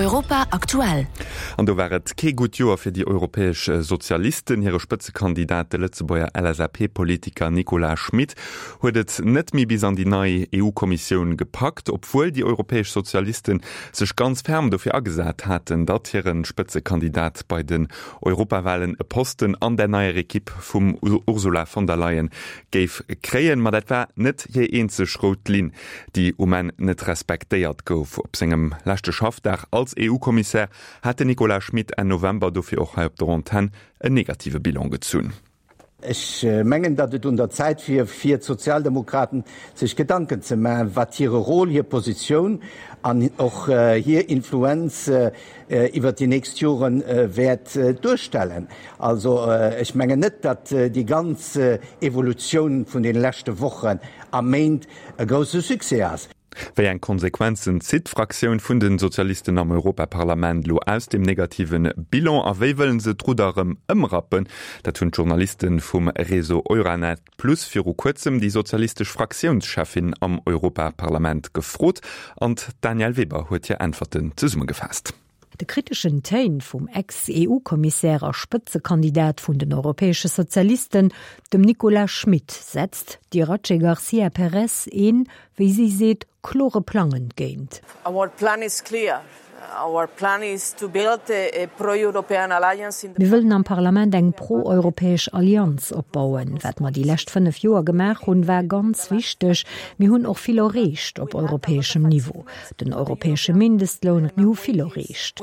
Europa aktuell. An do war et kee gutt Joer fir déi europäesch Sozialisten. Hire Spëtzekandidat, de Lëtzebuerger LSAP-Politiker Nicolas Schmit, huet et net méi bis an déi nei EU-Kommissioun gepackt, obwuel déi europäesch Sozialisten sech ganz ferm dofir agesat haten, datt hire Spëtzekandidat bei den Europawahlen e Posten an der neier Ekipp vum Ursula von der Leyen géif kréien. Ma dat war net hir eenzeg rout Linn, déi um Enn net respektéiert gouf. Op sengem leschte Schaffdag als EU-Kommissär hat den Nicolas Schmit Enn November dofir och hei op der Antenn en negative Bilan gezunn. Ech mengen, datt et un der Zäit wier, fir d'Sozialdemokraten sech Gedanken ze maachen, wat hire Rôle, hir Positioun an och hir Influenz iwwert déi nächst Jore wäert duerstellen. Also ech mengen net, datt déi ganz Evolutioun vun deene leschte Wochen a Méint e grousse Succès ass. Wéi eng Konsequenzen zitt d'Fraktioun vun de Sozialisten am Europaparlament elo aus deem negative Bilan a wéi wëllen se d'Rudder erëm ëmrappen? Dat hunn d'Journaliste vum Réseau Euranet Plus viru kuerzem déi sozialistesch Fraktiounscheffin am Europaparlament gefrot an d'Danièle Weber huet hir Äntwerten zesummegefaasst. De kriteschen Téin vum Ex-EU-Kommissär a Spëtzekandidat vun den europäesche Sozialisten, dem Nicolas Schmit, setzt d'Iratxe Garcia Perez een, wéi si seet, klore Plang entgéint. Our plan is clear. Our plan is to build a pro-European alliance in the. Mir wëllen am Parlament eng pro-europäesch Allianz opbauen. Wat mer déi lescht 5 Joer gemaach hunn, war ganz wichteg. Mir hunn och vill erreecht op europäeschem Niveau. Den europäesche Mindestloun, mir hu vill erreecht.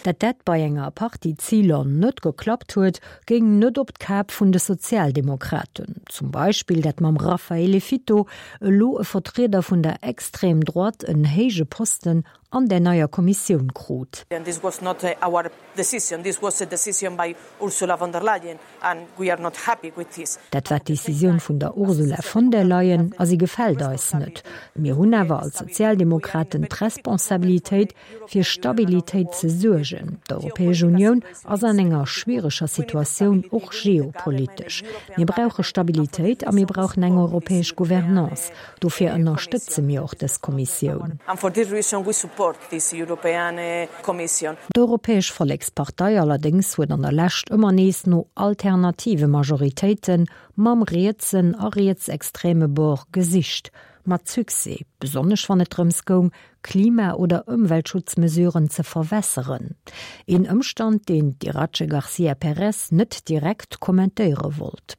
Dat dat bei enger Partie Ziler net geklappt huet, géing net op d'Kap vun de Sozialdemokraten. Zum Beispill dat mam Raffaele Fitto elo e Vertrieder vun der Extrême Droite en héije Posten an där neier Kommissioun krut. Dat war d'Decisioun vun der Ursula von der Leyen a si gefält eis net. Mir hunn awer als Sozialdemokraten d'Responsabilitéit, fir Stabilitéit ze suergen. D'Europäesch Unioun ass an enger schwiereger Situatioun, och geopolitesch. Mir brauche Stabilitéit a mir brauchen eng europäesch Gouvernance. Dofir ënnerstëtze mir och dës Kommissioun. D'Europäesch Vollekspartei allerdéngs huet an der Lescht ëmmer nees no alternative Majoritéite mam rietsen a rietsextreme Bord gesicht. Mat Succès, besonnesch wann et drëms goung, Klima oder Ëmweltschutzmesuren ze verwässeren. Een Ëmstand, deen d'Iratxe Garcia Perez net direkt kommentéiere wollt.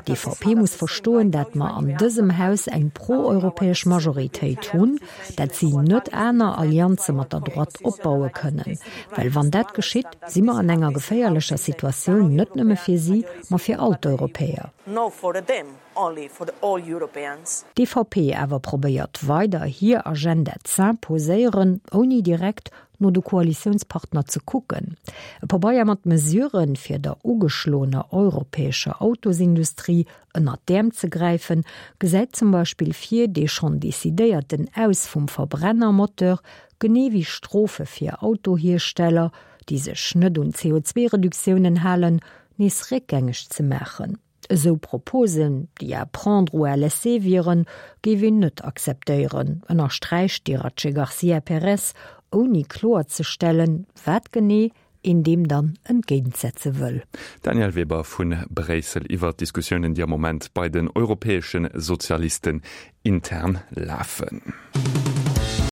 D'EVP muss verstoen, dat mer an dësem Haus eng pro-europäesch Majoritéit hunn, dat si net aner Allianze mat der Droite opbaue kënnen. Well wann dat geschitt, si mer an enger geféierlecher Situatioun, net nëmme fir si, ma fir all d'Europäer. D'EVP awer probéiert weider hir Agenda z'imposéieren, ouni direkt no de Koalitiounspartner ze kucken. E Pabeier mat Mesuren, fir der ugeschloener europäescher Autosindustrie ënnert d'Äerm ze gräifen, gesäit zum Beispill vir, dee schonn decidéierten Aus vum Verbrennermoteur, genee wéi Strofe fir Autohiersteller, déi sech net un CO2-Reduktiounen halen, nees réckgängeg ze maachen. Esou Proposen, déi à prendre ou à laisser wieren, géif een net akzeptéieren, ënnersträicht d'Iratxe Garcia Perez, ouni kloerzestellen, wat genee een deem dann entgéintsetze wëll. D'Danièle Weber vu Bréissel iwwer d'Diskussiounen, déi am Moment bei den europäesche Sozialisten intern lafen.